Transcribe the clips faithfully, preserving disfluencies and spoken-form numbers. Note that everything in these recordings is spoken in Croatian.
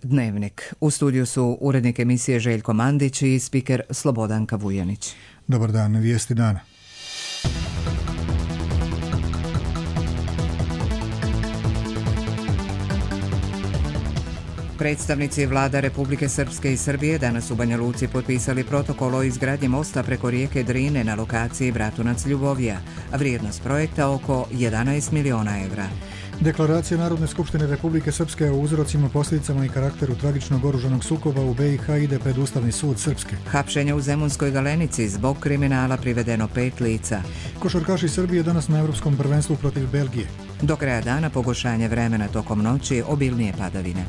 Dnevnik. U studiju su urednik emisije Željko Mandić i spiker Slobodanka Vujanić. Dobar dan, vijesti dana. Predstavnici vlada Republike Srpske i Srbije danas u Banja Luci potpisali protokol o izgradnji mosta preko rijeke Drine na lokaciji Bratunac-Ljubovija, a vrijednost projekta oko jedanaest miliona evra. Deklaracija Narodne skupštine Republike Srpske o uzrocima, posljedicama i karakteru tragičnog oružanog sukoba u B i H ide pred Ustavni sud Srpske. Hapšenje u Zemunskoj Galenici, zbog kriminala privedeno pet lica. Košarkaši Srbije danas na Evropskom prvenstvu protiv Belgije. Do kraja dana pogoršanje vremena tokom noći, obilnije padavine.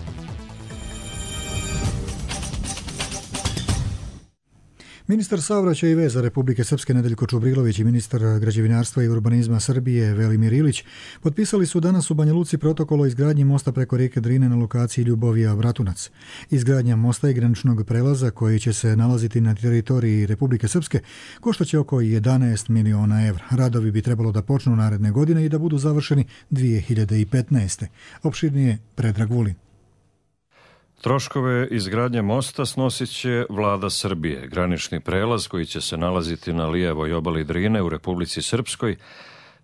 Ministar saobraćaja i veza Republike Srpske Nedeljko Čubrilović i ministar građevinarstva i urbanizma Srbije Velimir Ilić potpisali su danas u Banja Luci protokol o izgradnji mosta preko rijeke Drine na lokaciji Ljubovija-Bratunac. Izgradnja mosta i graničnog prelaza koji će se nalaziti na teritoriji Republike Srpske koštaće oko jedanaest miliona evra. Radovi bi trebalo da počnu naredne godine i da budu završeni dvije hiljade petnaeste. Opširnije Predrag Vulin. Troškove izgradnje mosta snosit će vlada Srbije. Granični prelaz koji će se nalaziti na lijevoj obali Drine u Republici Srpskoj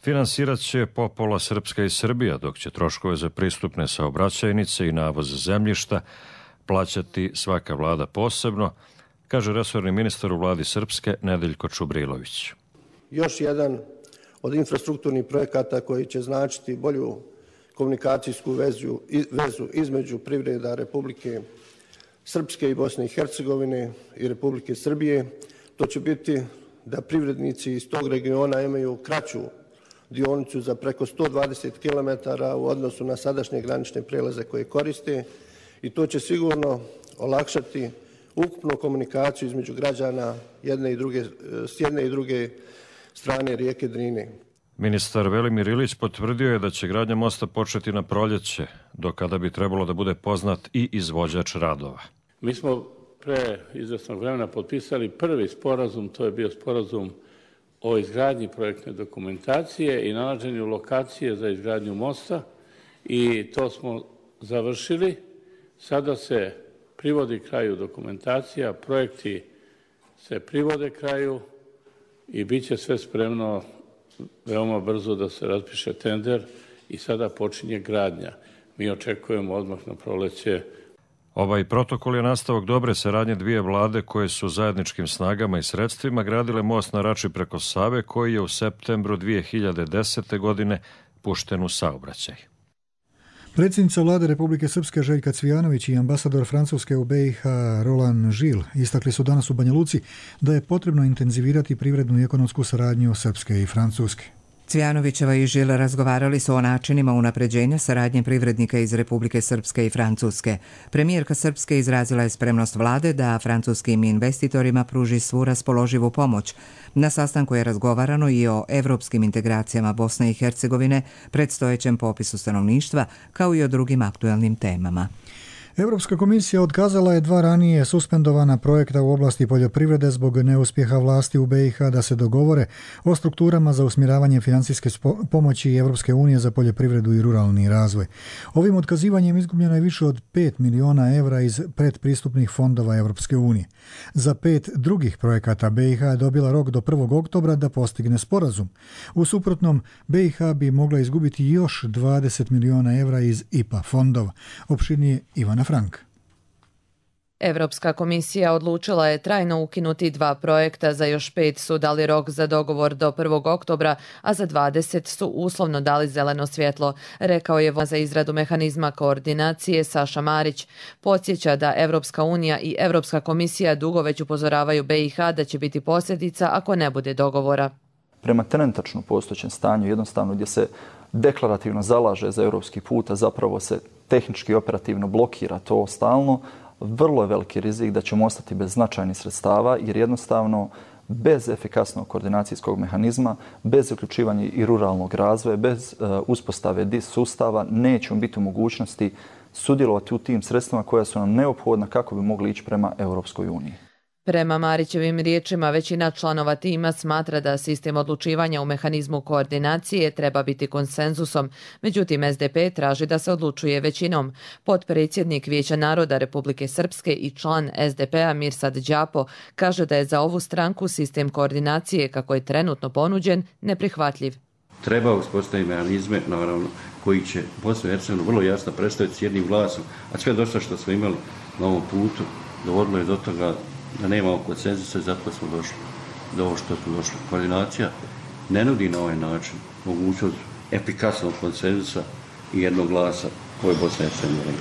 finansirat će popola Srpska i Srbija, dok će troškove za pristupne saobraćajnice i navoz zemljišta plaćati svaka vlada posebno, kaže resorni ministar u vladi Srpske Nedeljko Čubrilović. Još jedan od infrastrukturnih projekata koji će značiti bolju komunikacijsku vezu, vezu između privreda Republike Srpske i Bosne i Hercegovine i Republike Srbije. To će biti da privrednici iz tog regiona imaju kraću dionicu za preko sto dvadeset kilometara u odnosu na sadašnje granične prelaze koje koriste i to će sigurno olakšati ukupnu komunikaciju između građana jedne i druge, s jedne i druge strane rijeke Drine. Ministar Velimir Ilić potvrdio je da će gradnja mosta početi na proljeće, do kada bi trebalo da bude poznat i izvođač radova. Mi smo pre izvesnog vremena potpisali prvi sporazum, to je bio sporazum o izgradnji projektne dokumentacije i nalaženju lokacije za izgradnju mosta i to smo završili. Sada se privodi kraju dokumentacija, projekti se privode kraju i bit će sve spremno veoma brzo da se raspiše tender i sada počinje gradnja. Mi očekujemo odmah na proleće. Ovaj protokol je nastavak dobre saradnje dvije vlade koje su zajedničkim snagama i sredstvima gradile most na Rači preko Save koji je u septembru dvije hiljade desete. godine pušten u saobraćaj. Predsjednica vlade Republike Srpske Željka Cvijanović i ambasador Francuske u B i H Roland Žil istakli su danas u Banja Luci da je potrebno intenzivirati privrednu i ekonomsku saradnju Srpske i Francuske. Cvijanovićeva i Žil razgovarali su o načinima unapređenja saradnje privrednika iz Republike Srpske i Francuske. Premijerka Srpske izrazila je spremnost vlade da francuskim investitorima pruži svu raspoloživu pomoć. Na sastanku je razgovarano i o evropskim integracijama Bosne i Hercegovine, predstojećem popisu stanovništva, kao i o drugim aktuelnim temama. Europska komisija otkazala je dva ranije suspendovana projekta u oblasti poljoprivrede zbog neuspjeha vlasti u B i H da se dogovore o strukturama za usmjeravanje financijske pomoći Europske unije za poljoprivredu i ruralni razvoj. Ovim otkazivanjem izgubljeno je više od pet miliona evra iz predpristupnih fondova Europske unije. Za pet drugih projekata B i H je dobila rok do prvog oktobra da postigne sporazum. U suprotnom, B i H bi mogla izgubiti još dvadeset miliona evra iz I P A fondova. Opširnije Ivana Frank. Evropska komisija odlučila je trajno ukinuti dva projekta, za još pet su dali rok za dogovor do prvog oktobra, a za dvadeset su uslovno dali zeleno svjetlo, rekao je za izradu mehanizma koordinacije Saša Marić. Podsjeća da Evropska unija i Evropska komisija dugo već upozoravaju B i H da će biti posljedica ako ne bude dogovora. Prema trenutačno postojećem stanju, jednostavno gdje se deklarativno zalaže za europski put, a zapravo se tehnički i operativno blokira to stalno, vrlo je veliki rizik da ćemo ostati bez značajnih sredstava jer jednostavno bez efikasnog koordinacijskog mehanizma, bez uključivanja i ruralnog razvoja, bez uh, uspostave D I S sustava nećemo biti u mogućnosti sudjelovati u tim sredstvima koja su nam neophodna kako bi mogli ići prema Europskoj uniji. Prema Marićevim riječima, većina članova tima smatra da sistem odlučivanja u mehanizmu koordinacije treba biti konsenzusom, međutim S D P traži da se odlučuje većinom. Potpredsjednik Vijeća naroda Republike Srpske i član S D P-a Mirsad Đapo kaže da je za ovu stranku sistem koordinacije, kako je trenutno ponuđen, neprihvatljiv. Treba uspostaviti mehanizme, naravno, koji će Bosnu i Hercegovinu vrlo jasno predstaviti s jednim glasom, a sve dosta što smo imali na ovom putu dovodilo je do toga da nemamo konsenzusa i zato smo došli do ovo što smo došli. Koordinacija ne nudi na ovaj način mogućnost efikasnog konsenzusa i jednog glasa koje Bosna i Hercegovina.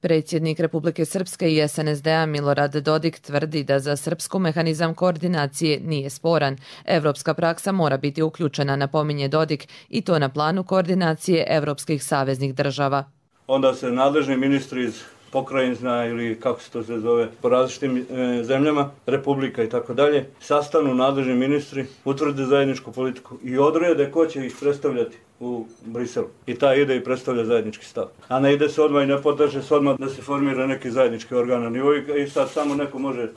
Predsjednik Republike Srpske i S N S D-a Milorad Dodik tvrdi da za Srpsku mehanizam koordinacije nije sporan. Evropska praksa mora biti uključena, napominje Dodik, i to na planu koordinacije evropskih saveznih država. Onda se nadležni ministri iz pokrajina ili kako se to se zove po različitim e, zemljama, republika i tako dalje, sastanu nadležni ministri, utvrde zajedničku politiku i odrede ko će ih predstavljati u Briselu. I ta ide i predstavlja zajednički stav. A ne ide se odmah i ne potraže se odmah da se formira neki zajednički organ na nivou i sad samo neko može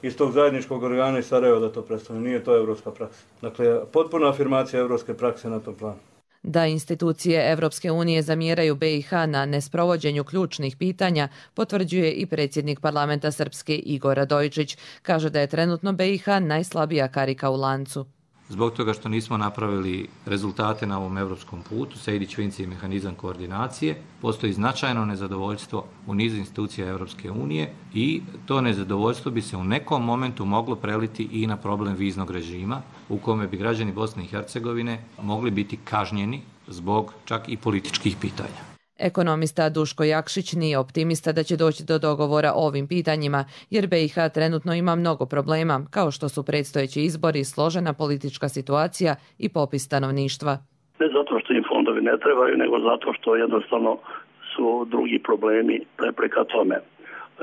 iz tog zajedničkog organa iz Sarajeva da to predstavlja. Nije to evropska praksa. Dakle, potpuna afirmacija evropske prakse na tom planu. Da institucije Evropske unije zamjeraju B i H na nesprovođenju ključnih pitanja, potvrđuje i predsjednik parlamenta Srpske Igor Radojičić. Kaže da je trenutno B i H najslabija karika u lancu. Zbog toga što nismo napravili rezultate na ovom evropskom putu, Sejdić-Finci i mehanizam koordinacije, postoji značajno nezadovoljstvo u nizu institucija Evropske unije i to nezadovoljstvo bi se u nekom momentu moglo preliti i na problem viznog režima, u kome bi građani Bosne i Hercegovine mogli biti kažnjeni zbog čak i političkih pitanja. Ekonomista Duško Jakšić nije optimista da će doći do dogovora o ovim pitanjima, jer B i H trenutno ima mnogo problema, kao što su predstojeći izbori, složena politička situacija i popis stanovništva. Ne zato što im fondovi ne trebaju, nego zato što jednostavno su drugi problemi prepreka tome.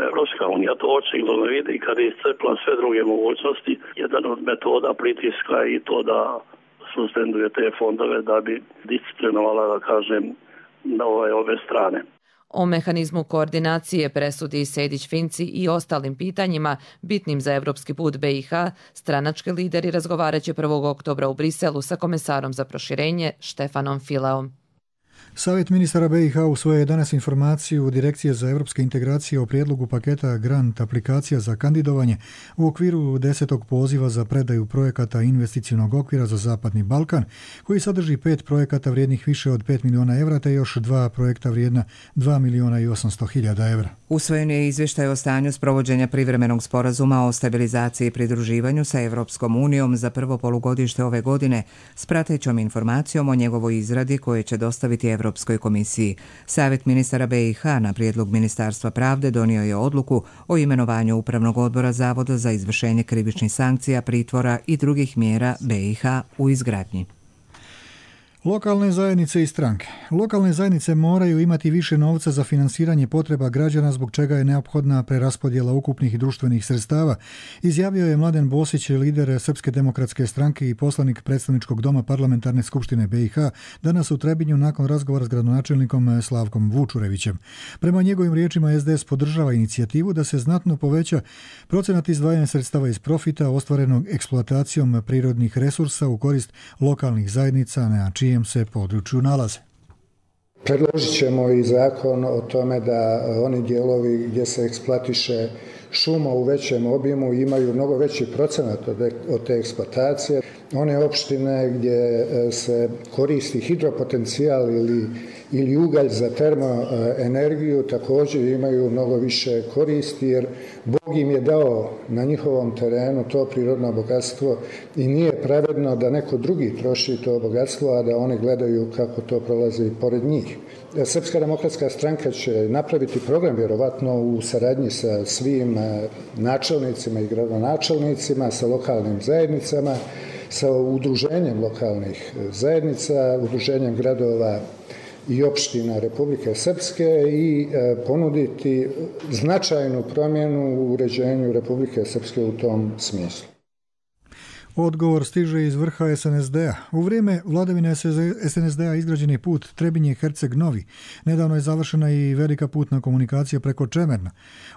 Evropska unija to očigledno vidi i kad je iscrpila sve druge mogućnosti, jedan od metoda pritiska i to da suspenduje te fondove da bi disciplinovala, da kažem, na ove, ove strane. O mehanizmu koordinacije, presudi Sejdić-Finci i ostalim pitanjima bitnim za evropski put B i H, stranački lideri razgovarat će prvog oktobra u Briselu sa komesarom za proširenje Štefanom Fileom. Savjet ministara B i H usvojio je danas informaciju Direkcije za evropske integracije o prijedlogu paketa grant aplikacija za kandidovanje u okviru desetog poziva za predaju projekata investicionog okvira za Zapadni Balkan, koji sadrži pet projekata vrijednih više od pet miliona evra te još dva projekta vrijedna dva miliona i osamsto hiljada evra. Usvojen je izvještaj o stanju sprovođenja privremenog sporazuma o stabilizaciji i pridruživanju sa Evropskom unijom za prvo polugodište ove godine s pratećom informacijom o njegovoj izradi koje će dostaviti Evropskoj komisiji. Savjet ministara B i H na prijedlog Ministarstva pravde donio je odluku o imenovanju Upravnog odbora Zavoda za izvršenje krivičnih sankcija, pritvora i drugih mjera B i H u izgradnji. Lokalne zajednice i stranke. Lokalne zajednice moraju imati više novca za finansiranje potreba građana, zbog čega je neophodna preraspodjela ukupnih društvenih sredstava, izjavio je Mladen Bosić, lider Srpske demokratske stranke i poslanik predstavničkog doma Parlamentarne skupštine B i H, danas u Trebinju nakon razgovora s gradonačelnikom Slavkom Vučurevićem. Prema njegovim riječima S D S podržava inicijativu da se znatno poveća procenat izdvajanja sredstava iz profita ostvarenog eksploatacijom prirodnih resursa u korist lokalnih zajednica na čijem se području nalaze. Predložit ćemo i zakon o tome da oni dijelovi gdje se eksploatiše šuma u većem obimu imaju mnogo veći procenat od te eksploatacije. One opštine gdje se koristi hidropotencijal ili, ili ugalj za termoenergiju također imaju mnogo više koristi, jer Bog im je dao na njihovom terenu to prirodno bogatstvo i nije pravedno da neko drugi troši to bogatstvo, a da oni gledaju kako to prolazi pored njih. Srpska demokratska stranka će napraviti program vjerovatno u saradnji sa svim načelnicima i gradonačelnicima, sa lokalnim zajednicama, sa udruženjem lokalnih zajednica, udruženjem gradova i opština Republike Srpske i ponuditi značajnu promjenu u uređenju Republike Srpske u tom smislu. Odgovor stiže iz vrha es en es de a. U vrijeme vladavine es en es de a izgrađen je put Trebinje-Herceg-Novi. Nedavno je završena i velika putna komunikacija preko Čemerna.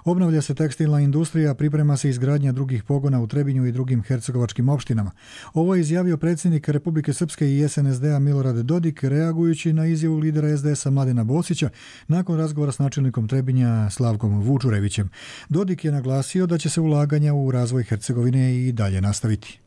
Obnavlja se tekstilna industrija, priprema se izgradnja drugih pogona u Trebinju i drugim hercegovačkim opštinama. Ovo je izjavio predsjednik Republike Srpske i es en es de a Milorad Dodik, reagujući na izjavu lidera es de es a Mladena Bosića nakon razgovora s načelnikom Trebinja Slavkom Vučurevićem. Dodik je naglasio da će se ulaganja u razvoj Hercegovine i dalje nastaviti.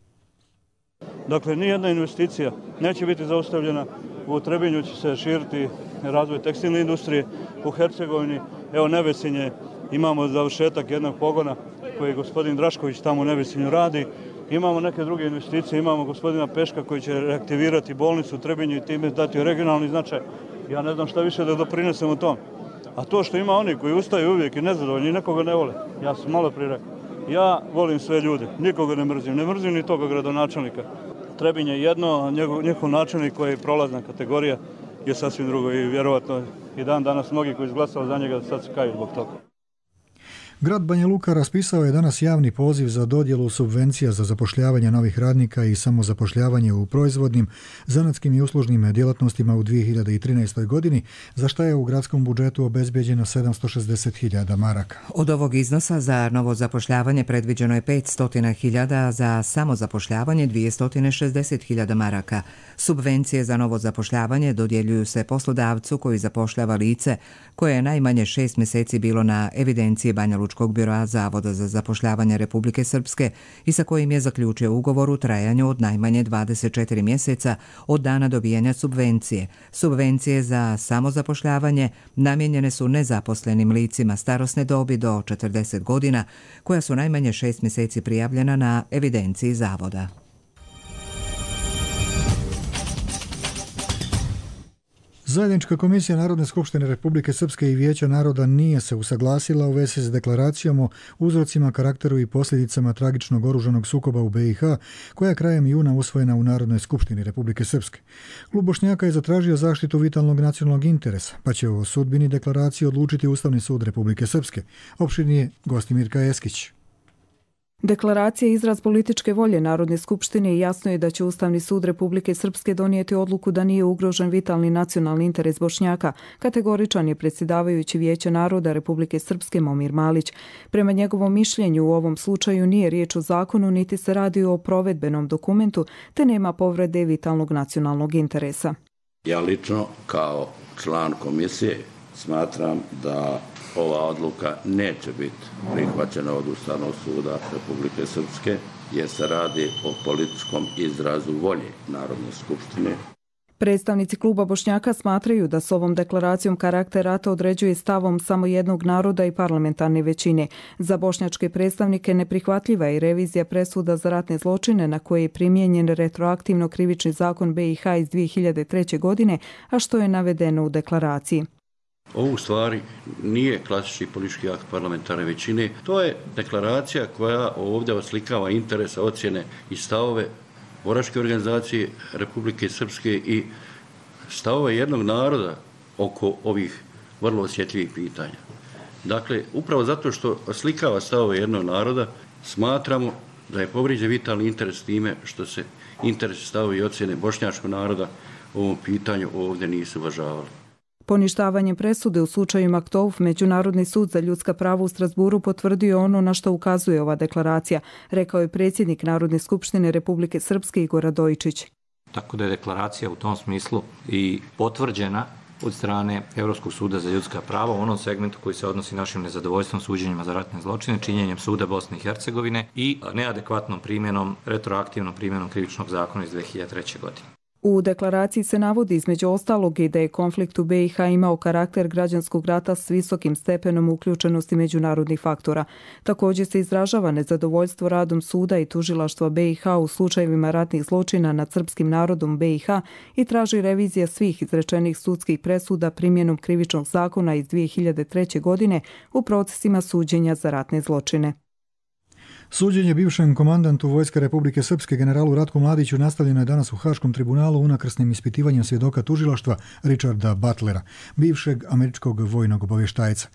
Dakle, nijedna investicija neće biti zaustavljena. U Trebinju će se širiti razvoj tekstilne industrije. U Hercegovini, evo Nevesinje, imamo završetak jednog pogona koji gospodin Drašković tamo u Nevesinju radi. Imamo neke druge investicije, imamo gospodina Peška koji će reaktivirati bolnicu u Trebinju i time dati regionalni značaj. Ja ne znam šta više da doprinesem u tom. A to što ima oni koji ustaju uvijek i nezadovoljni, nekoga ne vole. Ja sam malo prije rekao. Ja volim sve ljude, nikoga ne mrzim, ne mrzim ni toga gradonačelnika. Trebinje je jedno, njegov, njegov načelnik koji je prolazna kategorija je sasvim drugo i vjerovatno i dan danas mnogi koji izglasali za njega sad se kaju zbog toga. Grad Banja Luka raspisao je danas javni poziv za dodjelu subvencija za zapošljavanje novih radnika i samozapošljavanje u proizvodnim, zanatskim i uslužnim djelatnostima u dvije hiljade trinaestoj. godini, za što je u gradskom budžetu obezbijeđeno sedamsto šezdeset hiljada maraka. Od ovog iznosa za novo zapošljavanje predviđeno je petsto hiljada, za samozapošljavanje dvjesto šezdeset hiljada maraka. Subvencije za novo zapošljavanje dodjeljuju se poslodavcu koji zapošljava lice koje je najmanje šest mjeseci bilo na evidenciji Banja Lučkog biroa Zavoda za zapošljavanje Republike Srpske i sa kojim je zaključio ugovor u trajanju od najmanje dvadeset četiri mjeseca od dana dobijanja subvencije. Subvencije za samozapošljavanje namijenjene su nezaposlenim licima starosne dobi do četrdeset godina, koja su najmanje šest mjeseci prijavljena na evidenciji Zavoda. Zajednička komisija Narodne skupštine Republike Srpske i Vijeća naroda nije se usaglasila u vezi s deklaracijom o uzrocima, karakteru i posljedicama tragičnog oružanog sukoba u be i ha, koja je krajem juna usvojena u Narodnoj skupštini Republike Srpske. Klub Bošnjaka je zatražio zaštitu vitalnog nacionalnog interesa, pa će o sudbini deklaracije odlučiti Ustavni sud Republike Srpske. Opširnije Gostimirka Eskić. Deklaracija je izraz političke volje Narodne skupštine i jasno je da će Ustavni sud Republike Srpske donijeti odluku da nije ugrožen vitalni nacionalni interes Bošnjaka, kategoričan je predsjedavajući Vijeća naroda Republike Srpske Momir Malić. Prema njegovom mišljenju u ovom slučaju nije riječ o zakonu niti se radi o provedbenom dokumentu, te nema povrede vitalnog nacionalnog interesa. Ja lično kao član komisije smatram da ova odluka neće biti prihvaćena od Ustavnog suda Republike Srpske jer se radi o političkom izrazu volje Narodne skupštine. Predstavnici kluba Bošnjaka smatraju da s ovom deklaracijom karakter rata određuje stavom samo jednog naroda i parlamentarne većine. Za bošnjačke predstavnike neprihvatljiva je revizija presuda za ratne zločine na koje je primijenjen retroaktivno krivični zakon be i ha iz dvije hiljade treće. godine, a što je navedeno u deklaraciji. Ovo u stvari nije klasični politički akt parlamentarne većine. To je deklaracija koja ovdje oslikava interese, ocjene i stavove boračke organizacije Republike Srpske i stavove jednog naroda oko ovih vrlo osjetljivih pitanja. Dakle, upravo zato što oslikava stavove jednog naroda, smatramo da je povrijeđen vitalni interes time što se interesi, stavovi i ocjene bošnjačkog naroda u ovom pitanju ovdje nisu uvažavali. Poništavanjem presude u slučaju Maktouf, Međunarodni sud za ljudska prava u Strasburu potvrdio ono na što ukazuje ova deklaracija, rekao je predsjednik Narodne skupštine Republike Srpske Igor Radojičić. Tako da je deklaracija u tom smislu i potvrđena od strane Europskog suda za ljudska prava u onom segmentu koji se odnosi našim nezadovoljstvom suđenjima za ratne zločine, činjenjem suda Bosne i Hercegovine i neadekvatnom primjenom, retroaktivnom primjenom krivičnog zakona iz dvije hiljade treće. godine. U deklaraciji se navodi između ostalog i da je konflikt u be i ha imao karakter građanskog rata s visokim stepenom uključenosti međunarodnih faktora. Također se izražava nezadovoljstvo radom suda i tužilaštva be i ha u slučajevima ratnih zločina nad srpskim narodom be i ha i traži revizija svih izrečenih sudskih presuda primjenom krivičnog zakona iz dvije hiljade treće. godine u procesima suđenja za ratne zločine. Suđenje bivšem komandantu Vojske Republike Srpske generalu Ratku Mladiću nastavljeno je danas u Haškom tribunalu unakrsnim ispitivanjem svjedoka tužilaštva Richarda Butlera, bivšeg američkog vojnog obavještajca.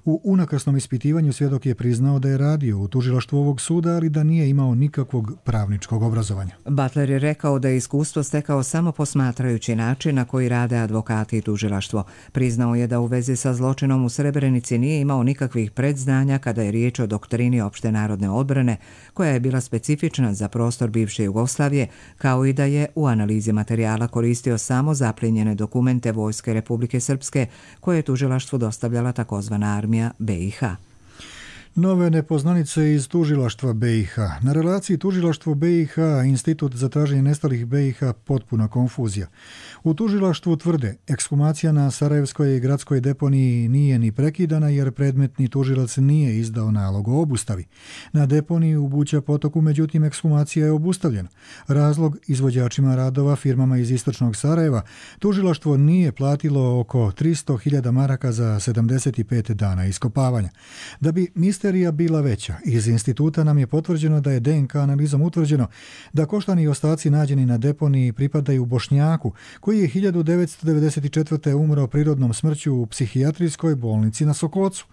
U unakrsnom ispitivanju svjedok je priznao da je radio u tužilaštvu ovog suda, ali da nije imao nikakvog pravničkog obrazovanja. Butler je rekao da je iskustvo stekao samo posmatrajući način na koji rade advokati i tužilaštvo. Priznao je da u vezi sa zločinom u Srebrenici nije imao nikakvih predznanja kada je riječ o doktrini opšte narodne odbrane, koja je bila specifična za prostor bivše Jugoslavije, kao i da je u analizi materijala koristio samo zaplijenjene dokumente Vojske Republike Srpske, koje je tužilaštvu dostavljala takozvana armija B i H. Nove nepoznanice iz tužilaštva B i H. Na relaciji tužilaštvo B i H, Institut za traženje nestalih B i H, potpuna konfuzija. U tužilaštvu tvrde, ekshumacija na Sarajevskoj i gradskoj deponiji nije ni prekidana jer predmetni tužilac nije izdao nalog o obustavi. Na deponiji u Buća potoku, međutim, ekshumacija je obustavljena. Razlog izvođačima radova, firmama iz istočnog Sarajeva, tužilaštvo nije platilo oko tristo hiljada maraka za sedamdeset pet dana iskopavanja. Da bi misterija bila veća, iz instituta nam je potvrđeno da je D N K analizom utvrđeno da koštani ostaci nađeni na deponiji pripadaju Bošnjaku, koji je hiljadu devetsto devedeset četvrte umro prirodnom smrću u psihijatrijskoj bolnici na Sokocu,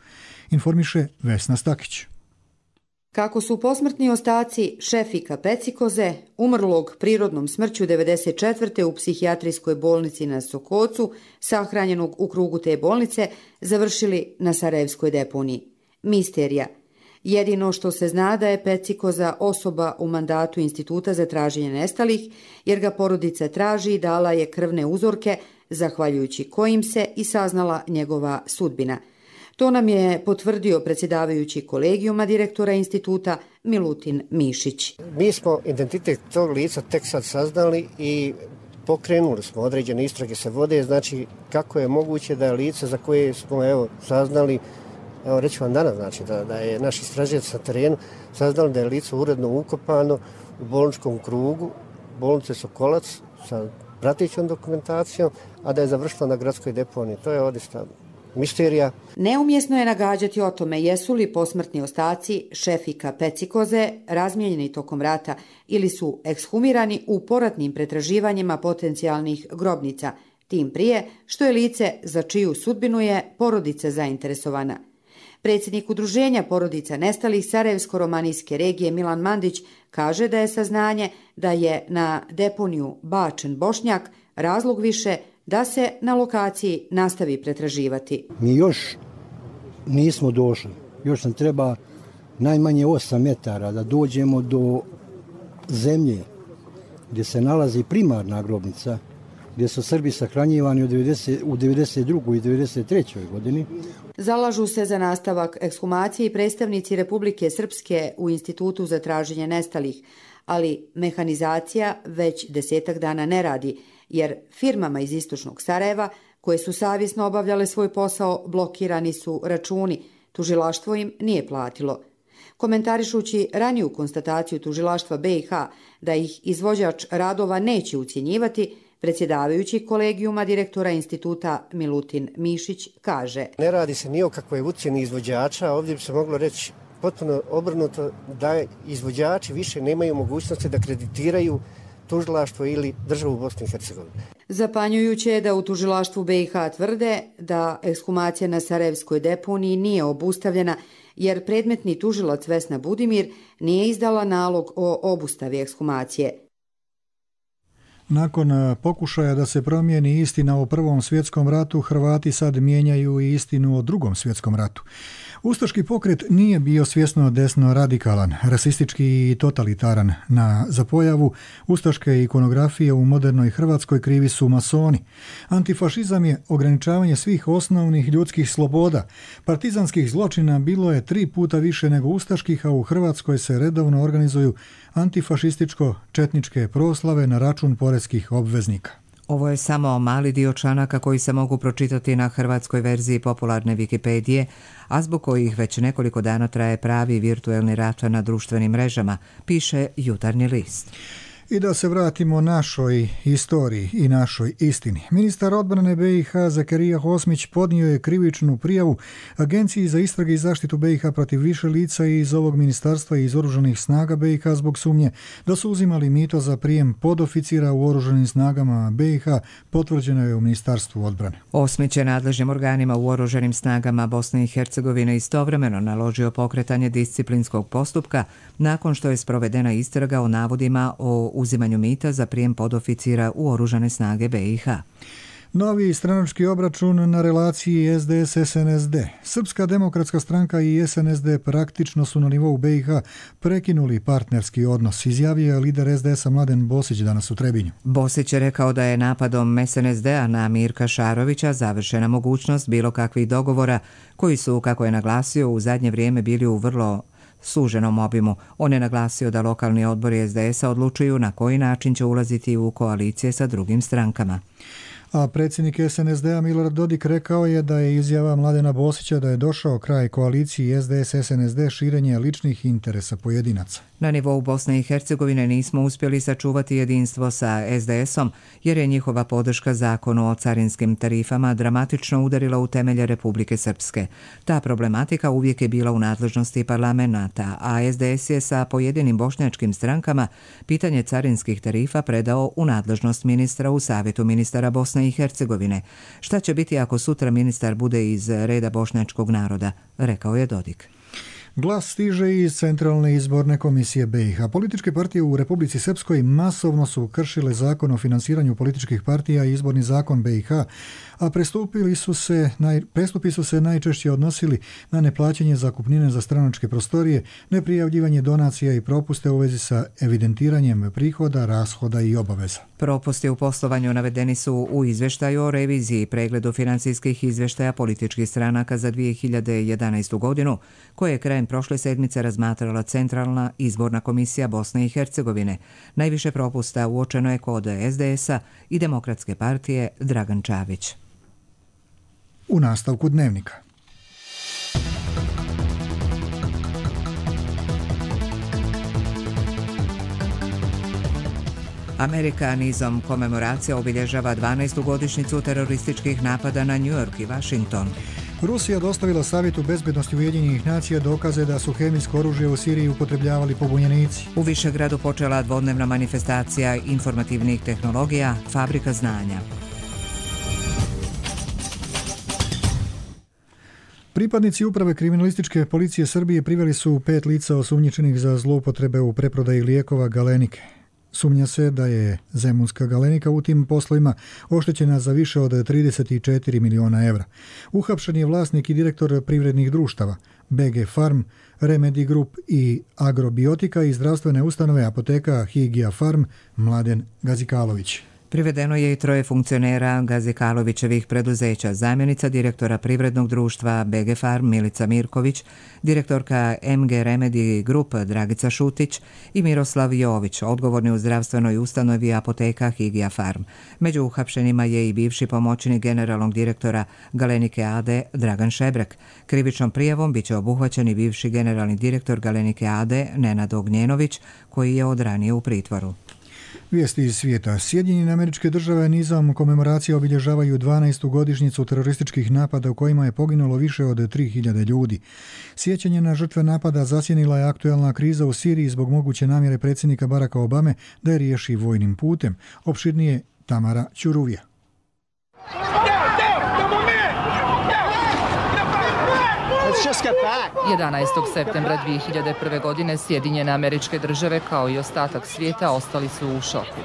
informiše Vesna Stakić. Kako su posmrtni ostaci Šefika Pecikoze, umrlog prirodnom smrću devedeset četvrte u psihijatrijskoj bolnici na Sokocu, sahranjenog u krugu te bolnice, završili na Sarajevskoj deponiji. Misterija. Jedino što se zna da je Pecikoza osoba u mandatu Instituta za traženje nestalih, jer ga porodica traži i dala je krvne uzorke, zahvaljujući kojim se i saznala njegova sudbina. To nam je potvrdio predsjedavajući kolegijuma direktora instituta Milutin Mišić. Mi smo identitet tog lica tek sad saznali i pokrenuli smo određene istrage se vode, znači kako je moguće da je lice za koje smo evo saznali, evo reći vam danas, znači da, da je naš istražilac na terenu saznali da je lice uredno ukopano u bolničkom krugu bolnice Sokolac sa pratećom dokumentacijom, a da je završilo na gradskoj deponiji. To je odista misterija. Neumjesno je nagađati o tome jesu li posmrtni ostaci Šefika Pecikoze razmijenjeni tokom rata ili su ekshumirani u poratnim pretraživanjima potencijalnih grobnica, tim prije što je lice za čiju sudbinu je porodica zainteresovana. Predsjednik Udruženja porodica nestalih Sarajevsko-romanijske regije Milan Mandić kaže da je saznanje da je na deponiju bačen Bošnjak razlog više da se na lokaciji nastavi pretraživati. Mi još nismo došli. Još nam treba najmanje osam metara da dođemo do zemlje gdje se nalazi primarna grobnica, gdje su Srbi sahranjivani u devedeset drugoj i devedeset trećoj godini. Zalažu se za nastavak ekshumacije i predstavnici Republike Srpske u Institutu za traženje nestalih, ali mehanizacija već desetak dana ne radi, jer firmama iz istočnog Sarajeva, koje su savjesno obavljale svoj posao, blokirani su računi, tužilaštvo im nije platilo. Komentarišući raniju konstataciju tužilaštva B i H da ih izvođač radova neće ucjenjivati, predsjedavajući kolegijuma direktora instituta Milutin Mišić kaže: Ne radi se ni o kakvoj ucjeni izvođača, ovdje bi se moglo reći potpuno obrnuto da izvođači više nemaju mogućnosti da kreditiraju tužilaštvo ili državu Bosne i Hercegovine. Zapanjujuće je da u tužilaštvu B i H tvrde da ekshumacija na Sarajevskoj deponiji nije obustavljena, jer predmetni tužilac Vesna Budimir nije izdala nalog o obustavi ekshumacije. Nakon pokušaja da se promijeni istina o Prvom svjetskom ratu, Hrvati sad mijenjaju i istinu o Drugom svjetskom ratu. Ustaški pokret nije bio svjesno desno radikalan, rasistički i totalitaran. Na za pojavu ustaške ikonografije u modernoj Hrvatskoj krivi su masoni. Antifašizam je ograničavanje svih osnovnih ljudskih sloboda. Partizanskih zločina bilo je tri puta više nego ustaških, a u Hrvatskoj se redovno organizuju antifašističko-četničke proslave na račun poreskih obveznika. Ovo je samo mali dio članaka koji se mogu pročitati na hrvatskoj verziji popularne Wikipedije, a zbog kojih već nekoliko dana traje pravi virtuelni rat na društvenim mrežama, piše Jutarnji list. I da se vratimo našoj istoriji i našoj istini. Ministar odbrane B i H Zakarija Hosmić podnio je krivičnu prijavu Agenciji za istrage i zaštitu B i H protiv više lica iz ovog ministarstva i iz oružanih snaga B i H zbog sumnje da su uzimali mito za prijem podoficira u oružanim snagama B i H, potvrđeno je u Ministarstvu odbrane. Osmić je nadležnim organima u oružanim snagama Bosne i Hercegovine istovremeno naložio pokretanje disciplinskog postupka nakon što je sprovedena istraga o navodima o uzimanju mita za prijem podoficira u oružane snage B i H. Novi stranački obračun na relaciji S D S S N S D. Srpska demokratska stranka i S N S D praktično su na nivou B i H prekinuli partnerski odnos, izjavio je lider S D S-a Mladen Bosić danas u Trebinju. Bosić je rekao da je napadom S N S D-a na Mirka Šarovića završena mogućnost bilo kakvih dogovora koji su, kako je naglasio, u zadnje vrijeme bili u vrlo suženom obimu. On je naglasio da lokalni odbori S D S-a odlučuju na koji način će ulaziti u koalicije sa drugim strankama. A predsjednik S N S D-a Milorad Dodik rekao je da je izjava Mladena Bosića da je došao kraj koaliciji S D S S N S D širenje ličnih interesa pojedinaca. Na nivou Bosne i Hercegovine nismo uspjeli sačuvati jedinstvo sa S D S-om jer je njihova podrška zakonu o carinskim tarifama dramatično udarila u temelje Republike Srpske. Ta problematika uvijek je bila u nadležnosti parlamenta, a S D S je sa pojedinim bošnjačkim strankama pitanje carinskih tarifa predao u nadležnost ministra u Savjetu ministara Bosne i Hercegovine. Šta će biti ako sutra ministar bude iz reda bošnjačkog naroda, rekao je Dodik. Glas stiže iz Centralne izborne komisije B i H. Političke partije u Republici Srpskoj masovno su kršile zakon o finansiranju političkih partija i izborni zakon B i H, a prestupili su se, naj, prestupi su se najčešće odnosili na neplaćanje zakupnine za stranačke prostorije, neprijavljivanje donacija i propuste u vezi sa evidentiranjem prihoda, rashoda i obaveza. Propusti u poslovanju navedeni su u izvještaju o reviziji i pregledu financijskih izvještaja političkih stranaka za dvije hiljade jedanaestu godinu, koje je krajem prošle sedmice razmatrala Centralna izborna komisija Bosne i Hercegovine. Najviše propusta uočeno je kod S D S-a i Demokratske partije Dragan Čavić. U nastavku dnevnika. Amerika nizom komemoracija obilježava dvanaestu godišnjicu terorističkih napada na New York i Washington. Rusija dostavila Savjetu bezbednosti Ujedinjenih nacija dokaze da su hemijsko oružje u Siriji upotrebljavali pobunjenici. U Višegradu počela dvodnevna manifestacija informativnih tehnologija, fabrika znanja. Pripadnici uprave kriminalističke policije Srbije priveli su pet lica osumnjičenih za zloupotrebe u preprodaji lijekova Galenike. Sumnja se da je zemunska Galenika u tim poslovima oštećena za više od trideset četiri miliona evra. Uhapšen je vlasnik i direktor privrednih društava B G Farm, Remedy Group i Agrobiotika i zdravstvene ustanove apoteka Higija Farm Mladen Gazikalović. Privedeno je i troje funkcionera Gazikalovićevih preduzeća, zamjenica direktora privrednog društva B G Farm Milica Mirković, direktorka M G Remedy Group Dragica Šutić i Miroslav Jović, odgovorni u zdravstvenoj ustanovi apoteka Higija Farm. Među uhapšenima je i bivši pomoćnik generalnog direktora Galenike A D Dragan Šebrek. Krivičnom prijavom biće obuhvaćen i bivši generalni direktor Galenike A D Nenad Ognjenović, koji je od ranije u pritvoru. Vijesti iz svijeta. Sjedinjene Američke Države nizom komemoracije obilježavaju dvanaestu godišnjicu terorističkih napada u kojima je poginulo više od tri hiljade ljudi. Sjećanje na žrtve napada zasjenila je aktuelna kriza u Siriji zbog moguće namjere predsjednika Baracka Obame da je riješi vojnim putem. Opširnije Tamara Ćuruvija. jedanaestog septembra dvije hiljade prve. godine Sjedinjene Američke Države kao i ostatak svijeta ostali su u šoku.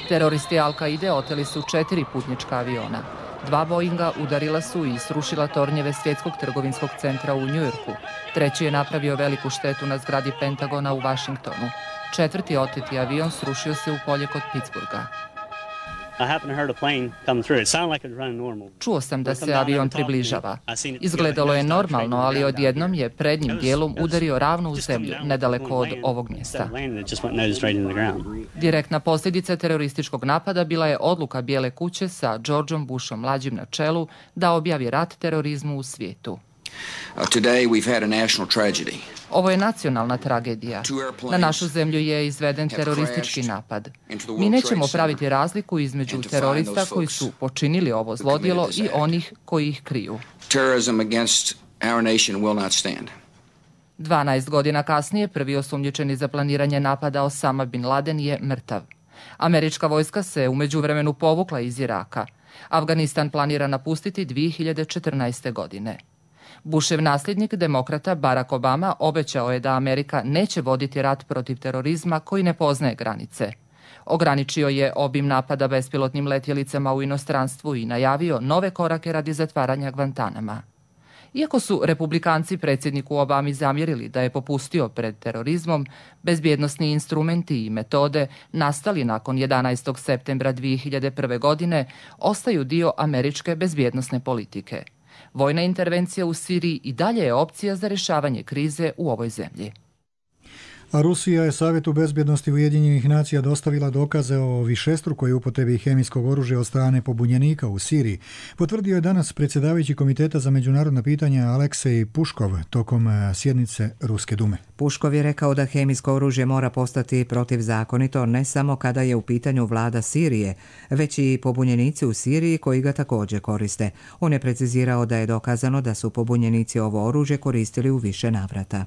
Teroristi Al-Kaide oteli su četiri putnička aviona. Dva Boeinga udarila su i srušila tornjeve Svjetskog trgovinskog centra u Njujorku. Treći je napravio veliku štetu na zgradi Pentagona u Vašingtonu. Četvrti oteti avion srušio se u polje kod Pittsburgha. Čuo sam da se avion približava. Izgledalo je normalno, ali odjednom je prednjim dijelom udario ravno u zemlju, nedaleko od ovog mjesta. Direktna posljedica terorističkog napada bila je odluka Bijele kuće sa Georgeom Bushom mlađim na čelu da objavi rat terorizmu u svijetu. Today we've had a national tragedy. Ovo je nacionalna tragedija. Na našu zemlju je izveden teroristički napad. Mi nećemo praviti razliku između terorista koji su počinili ovo zlodjelo i onih koji ih kriju. Terrorism against our nation will not stand. dvanaest godina kasnije prvi osumnjičeni za planiranje napada Osama bin Laden je mrtav. Američka vojska se u međuvremenu povukla iz Iraka. Afganistan planira napustiti dvije hiljade četrnaeste. godine. Bushev nasljednik demokrata Barack Obama obećao je da Amerika neće voditi rat protiv terorizma koji ne poznaje granice. Ograničio je obim napada bespilotnim letjelicama u inostranstvu i najavio nove korake radi zatvaranja Guantanama. Iako su republikanci predsjedniku Obami zamjerili da je popustio pred terorizmom, bezbjednosni instrumenti i metode nastali nakon jedanaestog septembra dvije hiljade prve. godine ostaju dio američke bezbjednosne politike. Vojna intervencija u Siriji i dalje je opcija za rješavanje krize u ovoj zemlji. A Rusija je Savjetu bezbjednosti Ujedinjenih nacija dostavila dokaze o višestrukoj upotrebi hemijskog oružja od strane pobunjenika u Siriji. Potvrdio je danas predsjedavajući Komiteta za međunarodna pitanja Aleksej Puškov tokom sjednice Ruske dume. Puškov je rekao da hemijsko oružje mora postati protivzakonito ne samo kada je u pitanju vlada Sirije, već i pobunjenici u Siriji koji ga također koriste. On je precizirao da je dokazano da su pobunjenici ovo oružje koristili u više navrata.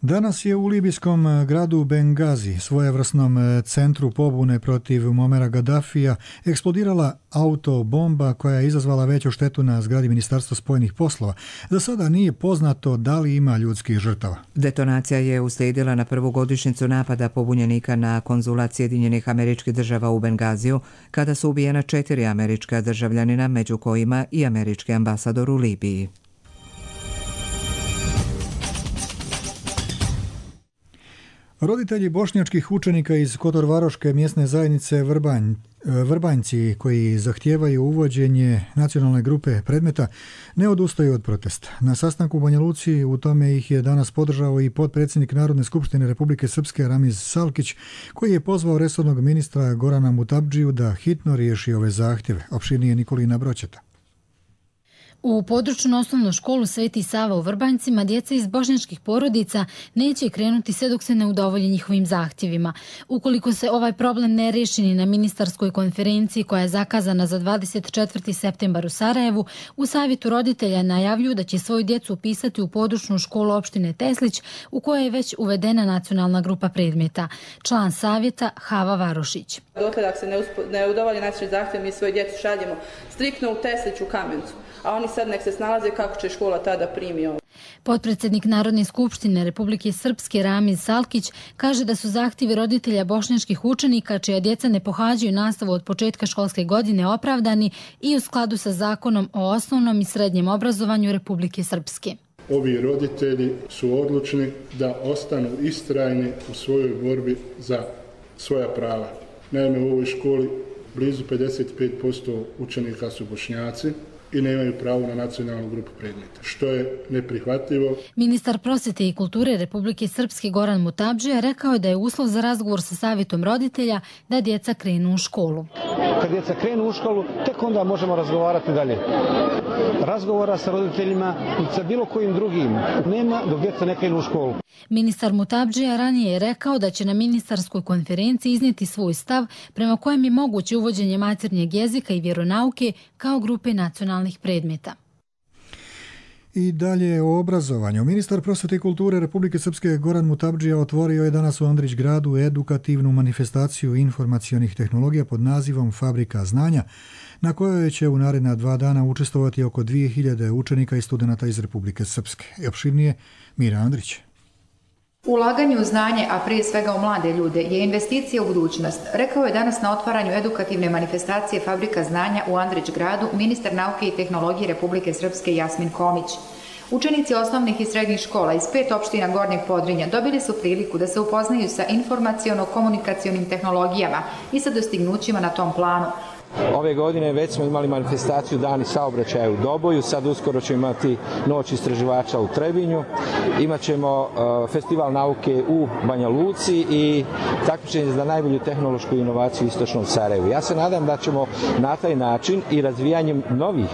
Danas je u libijskom gradu Bengazi, svojevrsnom centru pobune protiv Muamera Gaddafija, eksplodirala autobomba koja je izazvala veću štetu na zgradi Ministarstva spojenih poslova. Za sada nije poznato da li ima ljudskih žrtava. Detonacija je uslijedila na prvu godišnjicu napada pobunjenika na konzulat Sjedinjenih Američkih Država u Bengaziju, kada su ubijena četiri američka državljanina, među kojima i američki ambasador u Libiji. Roditelji bošnjačkih učenika iz Kotorvaroške mjesne zajednice Vrbanj, Vrbanjci koji zahtijevaju uvođenje nacionalne grupe predmeta ne odustaju od protesta. Na sastanku u Banja Luci u tome ih je danas podržao i potpredsjednik Narodne skupštine Republike Srpske Ramiz Salkić, koji je pozvao resornog ministra Gorana Mutabdžiju da hitno riješi ove zahtjeve. Opširnije Nikolina Broćeta. U područnu osnovnu školu Sveti Sava u Vrbanjcima djeca iz bošnjačkih porodica neće krenuti sve dok se ne udovolji njihovim zahtjevima. Ukoliko se ovaj problem ne riješi ni na ministarskoj konferenciji koja je zakazana za dvadeset četvrti septembar u Sarajevu, u savjetu roditelja najavljuju da će svoju djecu upisati u područnu školu opštine Teslić u kojoj je već uvedena nacionalna grupa predmeta. Član savjeta Hava Varošić. Dotle dok se ne, uspo, ne udovolji našim zahtjevom, mi svoju djecu šaljemo striktno u Teslić u Kamencu, a oni sad nek se snalaze kako će škola tada primi ovo. Potpredsjednik Narodne skupštine Republike Srpske Ramiz Salkić kaže da su zahtjevi roditelja bošnjačkih učenika čija djeca ne pohađaju nastavu od početka školske godine opravdani i u skladu sa zakonom o osnovnom i srednjem obrazovanju Republike Srpske. Ovi roditelji su odlučni da ostanu istrajni u svojoj borbi za svoja prava. Naime, u ovoj školi blizu pedeset pet posto učenika su Bošnjaci i nemaju pravo na nacionalnu grupu predmeta, što je neprihvatljivo. Ministar prosvjete i kulture Republike Srpske Goran Mutabdžija rekao je da je uslov za razgovor sa savjetom roditelja da djeca krenu u školu. Kad djeca krenu u školu, tek onda možemo razgovarati dalje. Razgovora sa roditeljima i sa bilo kojim drugim nema dok djeca ne krenu u školu. Ministar Mutabdžija ranije je rekao da će na ministarskoj konferenciji iznijeti svoj stav prema kojem je moguće uvođenje maternjeg jezika i vjeronauke kao grupe nacionalnih predmeta. I dalje o obrazovanju. Ministar prosvjete i kulture Republike Srpske Goran Mutabdžija otvorio je danas u Andrić gradu edukativnu manifestaciju informacionih tehnologija pod nazivom Fabrika znanja, na kojoj će u naredna dva dana učestvovati oko dvije hiljade učenika i studenata iz Republike Srpske. I opširnije Mira Andrić. Ulaganje u znanje, a prije svega u mlade ljude, je investicija u budućnost, rekao je danas na otvaranju edukativne manifestacije Fabrika znanja u Andrić gradu ministar nauke i tehnologije Republike Srpske Jasmin Komić. Učenici osnovnih i srednjih škola iz pet opština Gornjeg Podrinja dobili su priliku da se upoznaju sa informaciono-komunikacionim tehnologijama i sa dostignućima na tom planu. Ove godine već smo imali manifestaciju Dani saobraćaja u Doboju, sad uskoro ćemo imati Noć istraživača u Trebinju, imat ćemo uh, festival nauke u Banja Luci i takmičenje za najbolju tehnološku inovaciju u Istočnom Sarajevu. Ja se nadam da ćemo na taj način i razvijanjem novih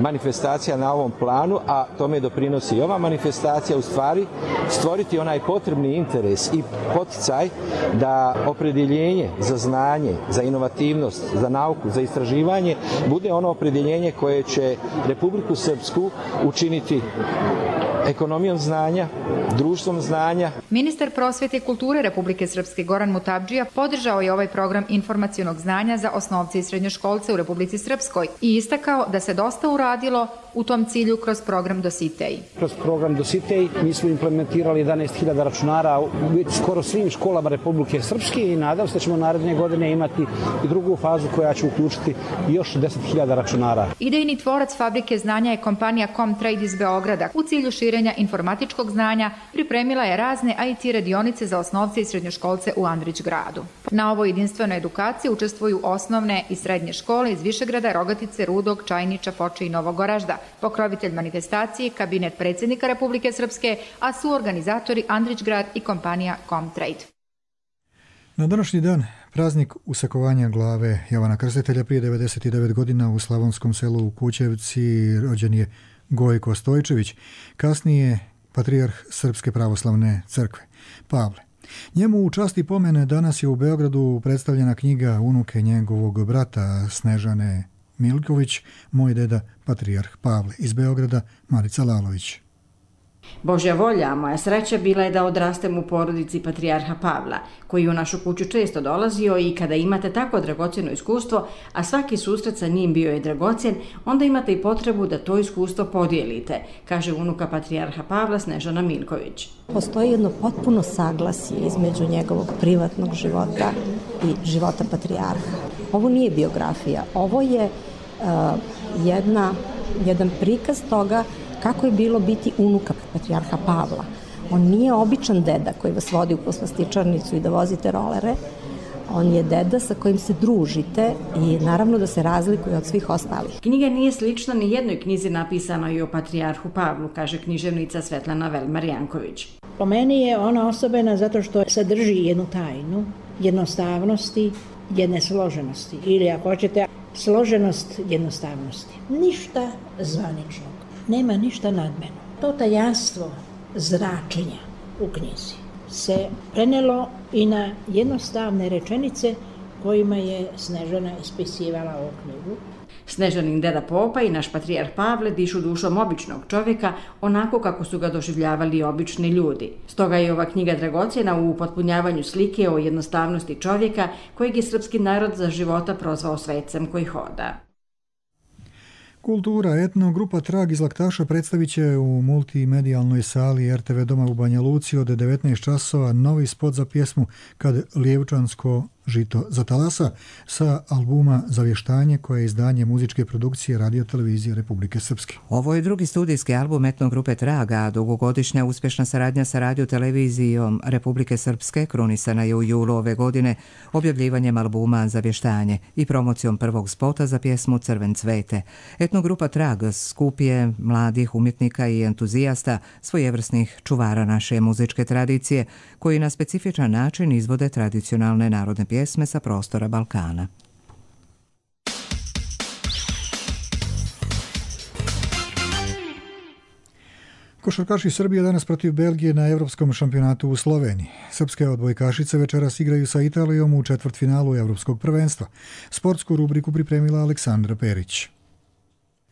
manifestacija na ovom planu, a tome doprinosi i ova manifestacija, u stvari stvoriti onaj potrebni interes i poticaj da opredjeljenje za znanje, za inovativnost, za nauku, za istraživanje bude ono opredjeljenje koje će Republiku Srpsku učiniti ekonomijom znanja, društvom znanja. Ministar prosvete i kulture Republike Srpske Goran Mutabdžija podržao je ovaj program informacionog znanja za osnovce i srednjoškolce u Republici Srpskoj i istakao da se dosta uradilo u tom cilju kroz program Dositej. Kroz program Dositej mi smo implementirali jedanaest hiljada računara u skoro svim školama Republike Srpske i nadam se da ćemo naredne godine imati i drugu fazu koja će uključiti još deset hiljada računara. Idejni tvorac fabrike znanja je kompanija Comtrade iz Beograda. U cilju širenja informatičkog znanja pripremila je razne I T radionice za osnovce i srednjoškolce u Andrić gradu. Na ovoj jedinstvenoj edukaciji učestvuju osnovne i srednje škole iz Višegrada, Rogatice, Rudog, Čajniča, Foče i Novog Goražda. Pokrovitelj manifestacije kabinet predsjednika Republike Srpske, a su organizatori Andrić grad i kompanija Comtrade. Na današnji dan praznik usakovanja glave Jovana Krstitelja prije devedeset devet godina u slavonskom selu u Kućevci rođen je Gojko Stojčević, kasnije patrijarh Srpske pravoslavne crkve, Pavle. Njemu u čast i pomene danas je u Beogradu predstavljena knjiga unuke njegovog brata Snežane Milković, Moj deda patrijarh Pavle. Iz Beograda Marica Lalović. Božja volja, moja sreća bila je da odrastem u porodici patrijarha Pavla, koji u našu kuću često dolazio i kada imate tako dragocjeno iskustvo, a svaki susret sa njim bio je dragocjen, onda imate i potrebu da to iskustvo podijelite, kaže unuka patrijarha Pavla Snežana Milković. Postoji jedno potpuno saglasje između njegovog privatnog života i života patrijarha. Ovo nije biografija, ovo je uh, jedna, jedan prikaz toga kako je bilo biti unuka patrijarha Pavla. On nije običan deda koji vas vodi u poslastičarnicu i da vozite rolere. On je deda sa kojim se družite i naravno da se razlikuje od svih ostalih. Knjiga nije slična ni jednoj knjizi napisanoj o patrijarhu Pavlu, kaže književnica Svetlana Velmar-Janković. Po meni je ona osobena zato što sadrži jednu tajnu, jednostavnosti, jedne složenosti. Ili ako hoćete, složenost jednostavnosti. Ništa zvaničnog. Nema ništa nadmeno. To tajanstvo zračenja u knjizi se prenelo i na jednostavne rečenice kojima je Snežana ispisivala ovu knjigu. Snežanin deda Popa i naš patrijarh Pavle dišu dušom običnog čovjeka onako kako su ga doživljavali obični ljudi. Stoga je ova knjiga dragocjena u upotpunjavanju slike o jednostavnosti čovjeka kojeg je srpski narod za života prozvao svecem koji hoda. Kultura, etno, grupa Trag iz Laktaša predstavit će u multimedijalnoj sali R T V Doma u Banja Luci od devetnaest časova novi spot za pjesmu Kad Lijevčansko žito zatalasa sa albuma Zavještanje, koje je izdanje muzičke produkcije Radio Televizije Republike Srpske. Ovo je drugi studijski album etno grupe Traga, a dugogodišnja uspješna saradnja sa Radio Televizijom Republike Srpske krunisana je u julu ove godine objavljivanjem albuma Zavještanje i promocijom prvog spota za pjesmu Crven cvete. Etno grupa Trag skup je mladih umjetnika i entuzijasta, svojevrsnih čuvara naše muzičke tradicije, koji na specifičan način izvode tradicionalne narodne pjesme sa prostora Balkana. Košarkaši Srbije danas protiv Belgije na Evropskom šampionatu u Sloveniji. Srpske odbojkašice večeras igraju sa Italijom u četvrtfinalu Evropskog prvenstva. Sportsku rubriku pripremila Aleksandra Perić.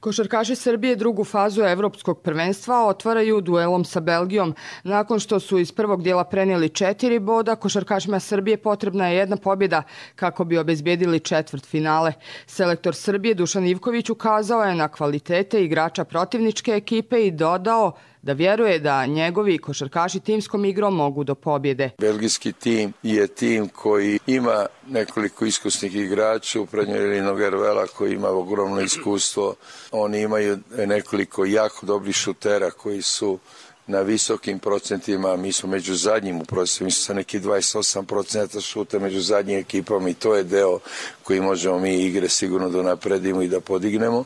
Košarkaši Srbije drugu fazu evropskog prvenstva otvaraju duelom sa Belgijom. Nakon što su iz prvog dijela prenijeli četiri boda, košarkašima Srbije potrebna je jedna pobjeda kako bi obezbjedili četvrt finale. Selektor Srbije Dušan Ivković ukazao je na kvalitete igrača protivničke ekipe i dodao da vjeruje da njegovi košarkaši timskom igrom mogu do pobjede. Belgijski tim je tim koji ima nekoliko iskusnih igrača, u prednjoj Nogervela koji ima ogromno iskustvo. Oni imaju nekoliko jako dobrih šutera koji su na visokim procentima, mi smo među zadnjim u procesu, mi smo sa neki dvadeset osam procenta šuta među zadnjim ekipama i to je deo koji možemo mi igre sigurno da napredimo i da podignemo.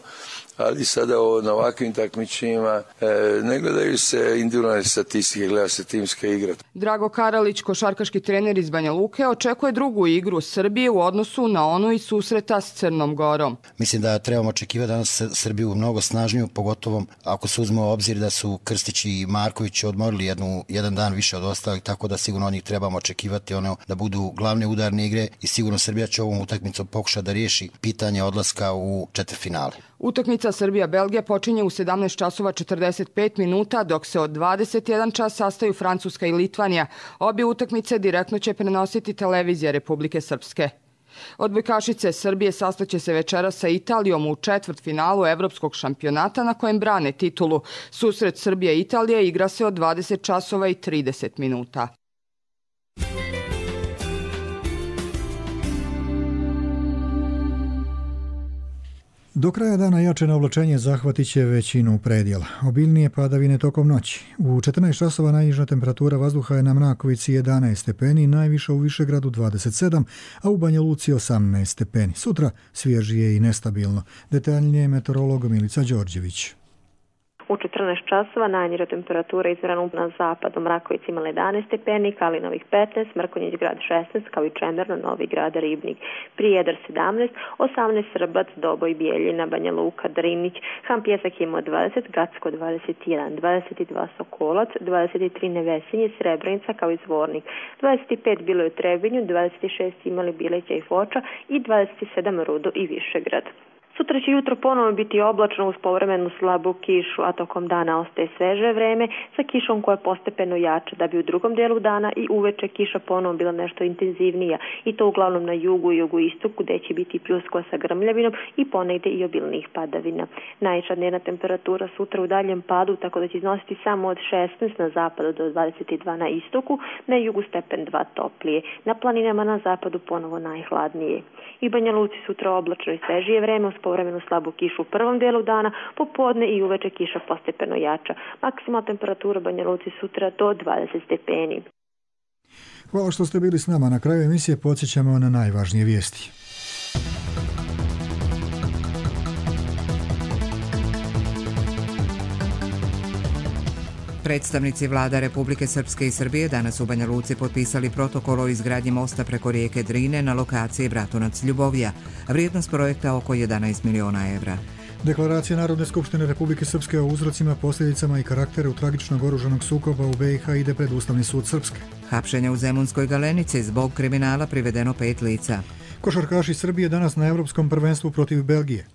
Ali sada o, na ovakvim takmičenjima e, ne gledaju se individualne statistike, gleda se timska igra. Drago Karalić, košarkaški trener iz Banja Luke, očekuje drugu igru Srbije u odnosu na onu iz susreta s Crnom Gorom. Mislim da trebamo očekivati danas Srbiju mnogo snažniju, pogotovo ako se uzme u obzir da su Krstić i Marković odmorili jednu, jedan dan više od ostalih, tako da sigurno od njih trebamo očekivati ono, da budu glavne udarne igre i sigurno Srbija će ovom utakmicom pokušati da riješi pitanje odlaska u četvrtfinale. Utakmica Srbija-Belgija počinje u sedamnaest časova četrdeset pet minuta, dok se od dvadeset jedan čas sastaju Francuska i Litvanija. Obje utakmice direktno će prenositi televizija Republike Srpske. Odbojkašice Srbije sastaće se večeras sa Italijom u četvrtfinalu evropskog šampionata na kojem brane titulu. Susret Srbija i Italija igra se od dvadeset časova i trideset minuta. Do kraja dana jačeno oblačenje zahvatit će većinu predjela. Obilnije padavine tokom noći. U četrnaest časova najniža temperatura vazduha je na Mrakovici jedanaest stepeni, najviša u Višegradu dvadeset sedam, a u Banja Luci osamnaest stepeni. Sutra svježije i nestabilno. Detaljnije meteorolog Milica Đorđević. U četrnaest časova najniža temperatura izmjerena na zapadu Mrakovici imala jedanaest stepeni, Kalinovih petnaest, Mrkonjić grad šesnaest, kao i Čemerno, Novi grad, Ribnik, Prijedor sedamnaest, osamnaest Srbac, Doboj, Bijeljina, Banja Luka, Drinić, Ham Pjesak imao dvadeset, Gacko dvadeset jedan, dvadeset dva Sokolac, dvadeset tri Nevesinje, Srebrenica kao i Zvornik, dvadeset pet bilo je u Trebinju, dvadeset šest imali Bileća i Foča i dvadeset sedam Rudo i Višegrad. Sutra će jutro ponovo biti oblačno uz povremenu slabu kišu, a tokom dana ostaje sveže vreme sa kišom koja postepeno jača, da bi u drugom dijelu dana i uveče kiša ponovo bila nešto intenzivnija i to uglavnom na jugu i jugoistoku gdje će biti pljuskova sa grmljavinom i ponegdje i obilnih padavina. Najviša dnevna temperatura sutra u daljem padu, tako da će iznositi samo od šesnaest na zapadu do dvadeset dva na istoku, na jugu stepen dva toplije, na planinama na zapadu ponovo najhladnije. I Banja Luci sutra oblačno i svežije vreme uz povremenu slabu kišu u prvom dijelu dana, popodne i uveče kiša postepeno jača. Maksimalna temperatura Banja Luci sutra do dvadeset stepeni. Hvala što ste bili s nama. Na kraju emisije podsjećamo na najvažnije vijesti. Predstavnici vlada Republike Srpske i Srbije danas u Banja Luci potpisali protokol o izgradnji mosta preko rijeke Drine na lokaciji Bratunac-Ljubovija. Vrijednost projekta oko jedanaest miliona evra. Deklaracija Narodne skupštine Republike Srpske o uzrocima, posljedicama i karakteru tragičnog oružanog sukoba u be i ha ide pred Ustavni sud Srpske. Hapšenje u Zemunskoj Galenici, zbog kriminala privedeno pet lica. Košarkaši Srbije danas na Evropskom prvenstvu protiv Belgije.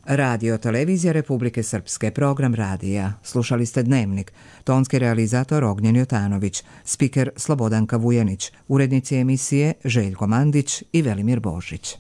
Radio televizija Republike Srpske, program radija. Slušali ste Dnevnik. Tonski realizator Ognjen Jotanović, spiker Slobodanka Vujanić, urednici emisije Željko Mandić i Velimir Božić.